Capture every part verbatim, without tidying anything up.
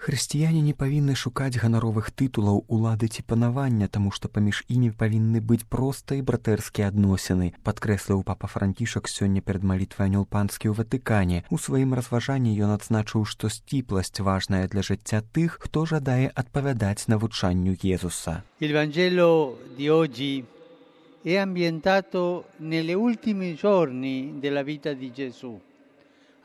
Хрысціяне не павінны шукаць ганаровых тытулаў, улады ці панавання, таму што паміж імі павінны быць проста і братэрскія адносіны, падкрэсліў папа Францішак сёння перад малітвай Анёл Панскі ў Ватыкане. У сваім разважанні ён адзначыў, што сціпласць важная для жыцця тых, хто жадае адпавядаць навучанню Jesуsa. Il Vangelo di oggi è ambientato negli ultimi giorni della vita di Gesù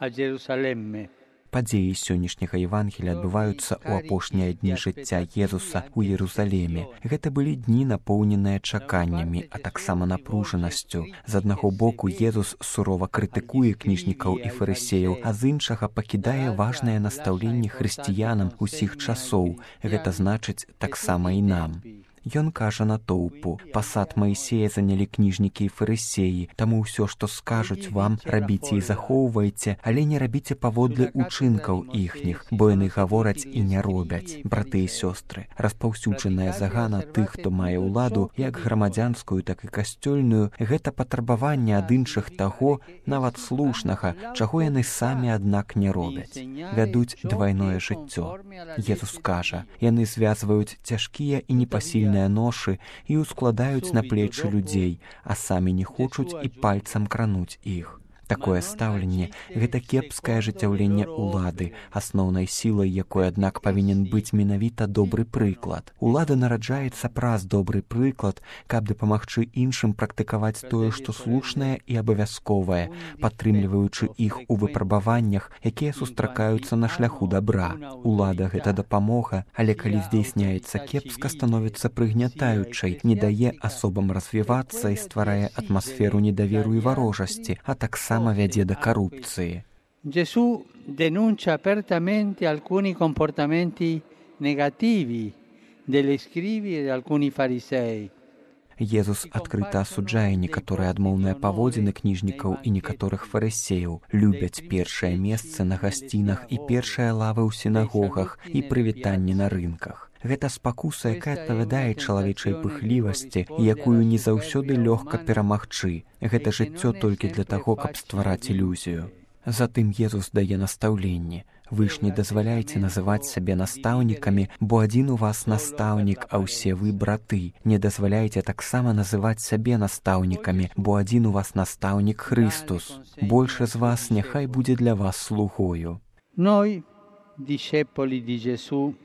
a Gerusalemme. Падзеі сённяшняга Евангелія адбываюцца ў апошнія дні жыцця Езуса ў Єрусалеме. Гэта былі дні, напоўненыя чаканнямі, а таксама напружанасцю. З аднаго боку, Езус сурова крытыкуе кніжнікаў і фарысеяў, а з іншага пакідае важнае настаўленне хрысціянам усіх часоў. Гэта значыць таксама і нам. Ён кажа натоўпу: «Пасад Маісея занялі кніжнікі і фарысеі, таму ўсё, што скажуць вам, рабіце і захоўвайце, але не рабіце паводле ўчынкаў іхніх, бо яны гавораць і не робяць». Браты і сёстры, распаўсюджаная загана тых, хто мае ўладу, як грамадзянскую, так і касцёльную, гэта патрабаванне ад іншых таго, нават слушнага, чаго яны самі, аднак, не робяць. Вядуць двайное жыццё. Jesús кажа, яны звязваюць цяжкія і непасільныя ношы і ускладаюць на плечы людзей, а самі не хочуць і пальцам крануць іх. Такое стаўленне – гэта кепскае ажыццяўленне ўлады, асноўнай сілай якой, аднак, павінен быць менавіта добры прыклад. Улада нараджаецца праз добры прыклад, каб дапамагчы іншым практыкаваць тое, што слушнае і абавязковае, падтрымліваючы іх у выпрабаваннях, якія сустракаюцца на шляху дабра. Улада – гэта дапамога, але калі здзейсняецца кепска, становіцца прыгнятаючай, не дае асобам развівацца і стварае атмасферу недаверу і варожасці, а таксама vede da corruzione. Gesù denuncia apertamente alcuni comportamenti negativi degli scribi e di alcuni farisei. Jesús адкрыта асуджае некаторыя адмоўныя паводзіны кніжнікаў і некаторых фарысеяў, любяць першае месца на гасцінах і першыя лавы ў сінагогах і прывітанні на рынках. Гэта спакуса, якая адпавядае чалавечай пыхлівасці і якую не заўсёды лёгка перамагчы. Гэта жыццё толькі для таго, каб ствараць ілюзію. Затым Jesús дае настаўленне: «Вы ж не дазваляйце называць сябе настаўнікамі, бо адзін у вас настаўнік, а ўсе вы браты. Не дазваляйце таксама называць сябе настаўнікамі, бо адзін у вас настаўнік Христос. Больше з вас няхай будзе для вас слугою». Noi, discepoli di Gesù,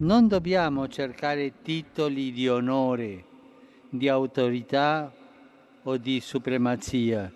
non dobbiamo cercare titoli di onore, di autorità o di supremazia.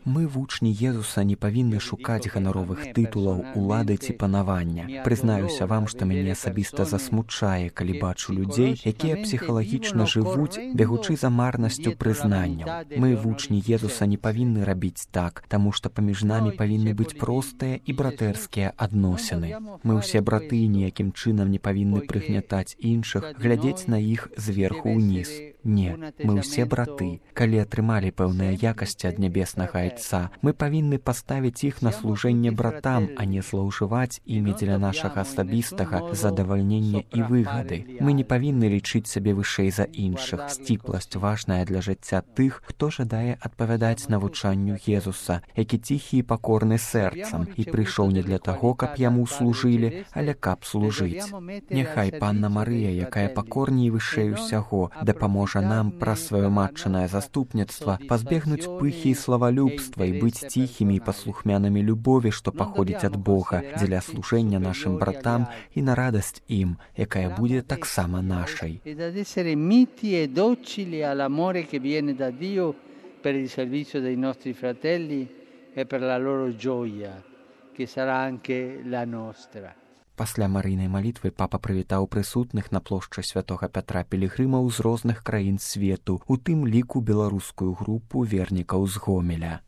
Мы, вучні Jesúsa, не павінны шукаць ганаровых тытулаў, улады ці панавання. Прызнаюся вам, што мяне асабіста засмучае, калі бачу людзей, якія псіхалагічна жывуць, бегучы за марнасцю прызнанняў. Мы, вучні Jesúsa, не павінны рабіць так, таму што паміж намі павінны быць простыя і братэрскія адносіны. Мы ўсе браты, ніякім чынам не павінны прыгнятаць іншых, глядзець на іх зверху ўніз. Не, мы ўсе браты. Калі атрымалі пэўныя якасці ад нябеснага Айца, мы павінны паставіць іх на служэнне братам, а не злоўжываць імі дзеля нашага асабістага задавальнення і выгады. Мы не павінны лічыць сябе вышэй за іншых. Сціпласць важная для жыцця тых, хто жадае адпавядаць навучанню Jesúsa, які ціхі і пакорны сэрцам і прыйшоў не для таго, каб яму служылі, але каб служыць. Няхай Панна Марыя, якая пакорней вышэй усяго, дапаможа нам праз сваё матчынае заступніцтва пазбегнуць пыхі і славалюбства і быць ціхімі і паслухмянымі любові, што паходзіць ад Бога, дзеля служэння нашым братам і на радасць ім, якая будзе таксама нашай. Per il servizio dei nostri fratelli e per la loro gioia, che sarà anche la nostra. Пасля марыйнай малітвы папа прывітаў прысутных на плошчы святога Пятра пілігрымаў з розных краін свету, у тым ліку беларускую групу вернікаў з Гомеля.